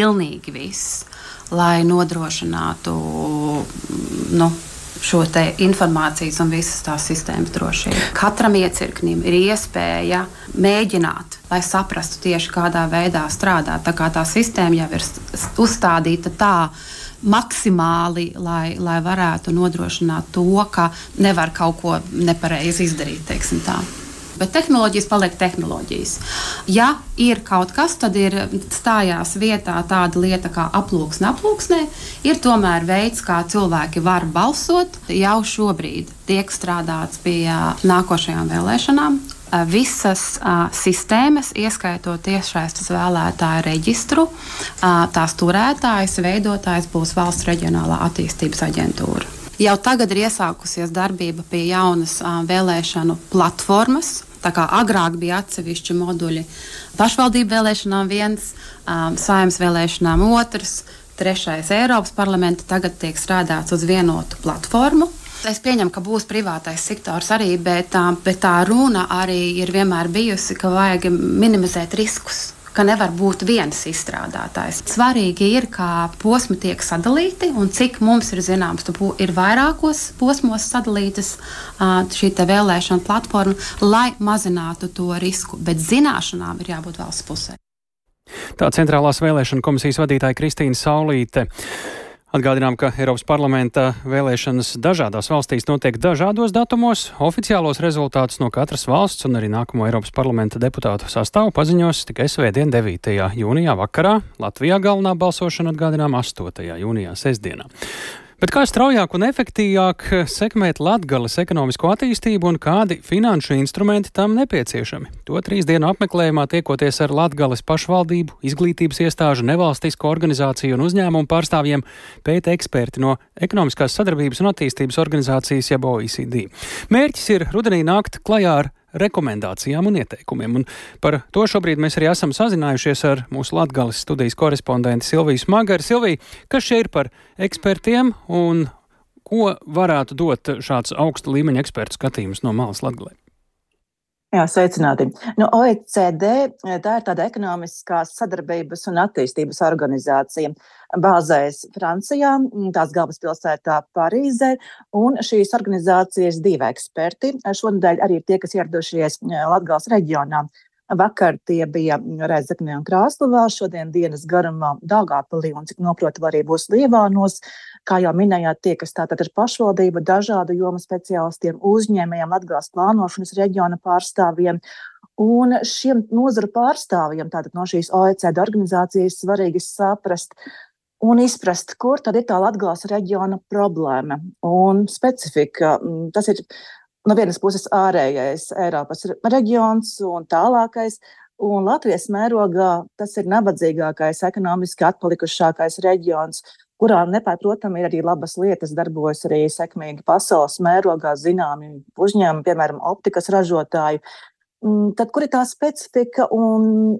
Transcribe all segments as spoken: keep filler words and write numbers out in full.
pilnīgi viss, lai nodrošinātu nu, šo te informācijas un visas tās sistēmas drošību. Katram iecirknim ir iespēja mēģināt, lai saprastu tieši kādā veidā strādāt. Tā kā tā sistēma jau ir uzstādīta tā maksimāli, lai, lai varētu nodrošināt to, ka nevar kaut ko nepareizi izdarīt, teiksim tā. Bet tehnoloģijas paliek tehnoloģijas. Ja ir kaut kas, tad ir stājās vietā tāda lieta kā aploksne aploksnē, ir tomēr veids, kā cilvēki var balsot. Jau šobrīd tiek strādāts pie nākošajām vēlēšanām. Visas uh, sistēmas, ieskaitot tiešsaistes vēlētāju reģistru, uh, tās turētājs, veidotājs būs Valsts reģionālā attīstības aģentūra. Jau tagad ir iesākusies darbība pie jaunas uh, vēlēšanu platformas. Tā kā agrāk bija atsevišķi moduļi pašvaldību vēlēšanām viens, um, Saeimas vēlēšanām otrs, trešais Eiropas parlamenta, tagad tiek strādāts uz vienotu platformu. Es pieņemu, ka būs privātais sektors arī, bet tā, bet tā runa arī ir vienmēr bijusi, ka vajag minimizēt riskus, ka nevar būt viens izstrādātājs. Svarīgi ir, kā posmi tiek sadalīti un cik mums ir zināms, ir vairākos posmos sadalītas šī te vēlēšana platforma, lai mazinātu to risku, bet zināšanām ir jābūt valsts pusē. Tā Centrālās vēlēšana komisijas vadītāja Kristīna Saulīte. Atgādinām, ka Eiropas parlamenta vēlēšanas dažādās valstīs notiek dažādos datumos. Oficiālos rezultātus no katras valsts un arī nākamo Eiropas parlamenta deputātu sastāvu paziņos tikai svētdien devītajā jūnijā vakarā. Latvijā galvenā balsošana atgādinām astotajā jūnijā sestdienā. Bet kā straujāk un efektīvāk sekmēt Latgales ekonomisko attīstību un kādi finanšu instrumenti tam nepieciešami? To trīs dienu apmeklējumā tiekoties ar Latgales pašvaldību, izglītības iestāžu, nevalstisko organizāciju un uzņēmumu pārstāvjiem pēta eksperti no Ekonomiskās sadarbības un attīstības organizācijas jeb O E C D. Mērķis ir rudenī nākt klajā ar rekomendācijām un ieteikumiem. Un par to šobrīd mēs arī esam sazinājušies ar mūsu Latgales studijas korespondenti Silviju Smagari. Silvija, kas šie ir par ekspertiem un ko varētu dot šāds augsta līmeņa ekspertu skatījums no malas Latgalē? Jā, sveicināti. Nu, O E C D tā ir tāda ekonomiskās sadarbības un attīstības organizācija. Bāzējas Francijā, tās galvaspilsētā Parīzē, un šīs organizācijas divi eksperti. Šonedēļ arī ir tie, kas ieradušies Latgales reģionā. Vakar tie bija Rēzeknē un Krāsluvā, šodien dienas garumā Daugavpilī un, cik noprotu, arī būs Lievānos. Kā jau minējāt, tie, kas tātad ir pašvaldība, dažādu jomu speciālistiem, uzņēmējiem, Latgales plānošanas reģiona pārstāvjiem. Un šiem nozaru pārstāvjiem, tātad no šīs O E C D organizācijas, svarīgi saprast un izprast, kur tad ir tā Latgales reģiona problēma un specifika. Tas ir no vienas puses ārējais Eiropas reģions un tālākais, un Latvijas mērogā tas ir nabadzīgākais, ekonomiski atpalikušākais reģions, kurā nepārprotami ir arī labas lietas, darbojas arī sekmīgi pasaules mērogā zināmi uzņēmumi, piemēram, optikas ražotāji. Tad, kur ir tā specifika un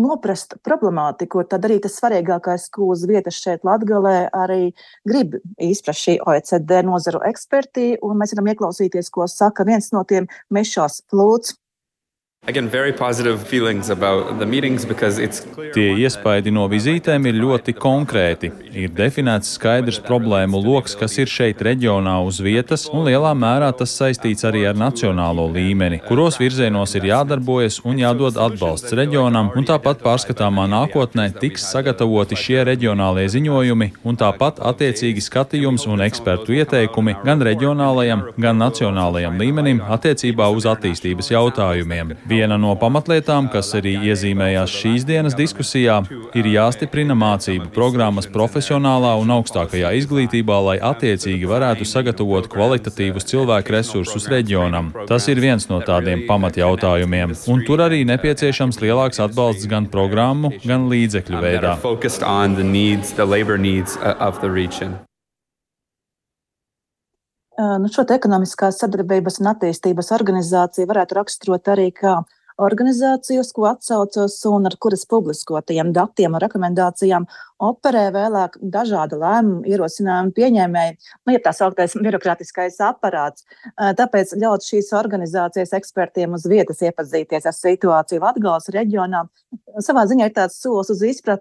noprast problemātiku, tad arī tas svarīgākais, ko uz vietas šeit Latgalē arī grib izprast šī O E C D nozaru eksperti, un mēs varam ieklausīties, ko saka viens no tiem Mišels Flūts. Again, very positive feelings about the meetings because it's clear. Tie iespaidi no vizītēm ir ļoti konkrēti. Ir definēts skaidrs problēmu loks, kas ir šeit reģionā uz vietas, un lielā mērā tas saistīts arī ar nacionālo līmeni, kuros virzienos ir jādarbojas un jādod atbalsts reģionam, un tāpat pārskatāmā nākotnē tiks sagatavoti šie reģionālie ziņojumi, un tāpat attiecīgi skatījums un ekspertu ieteikumi gan reģionālajam, gan nacionālajam līmenim attiecībā uz attīstības jautājumiem. Viena no pamatlietām, kas arī iezīmējās šīs dienas diskusijā, ir jāstiprina mācību programmas profesionālā un augstākajā izglītībā, lai attiecīgi varētu sagatavot kvalitatīvus cilvēku resursus reģionam. Tas ir viens no tādiem pamatjautājumiem, un tur arī nepieciešams lielāks atbalsts gan programmu, gan līdzekļu veidā. Nu, šo te ekonomiskās sadarbības un attīstības organizāciju varētu raksturot arī kā organizāciju, uz ko atsaucos un ar kuras publiskotajiem datiem un rekomendācijām operē vēlāk dažāda lēmuma ierosinājuma pieņēmēji, nu, ja tā sauktais birokrātiskais aparāts. Tāpēc ļaut šīs organizācijas ekspertiem uz vietas iepazīties ar situāciju Latgales reģionā. Savā ziņā ir tāds solis uz izpratni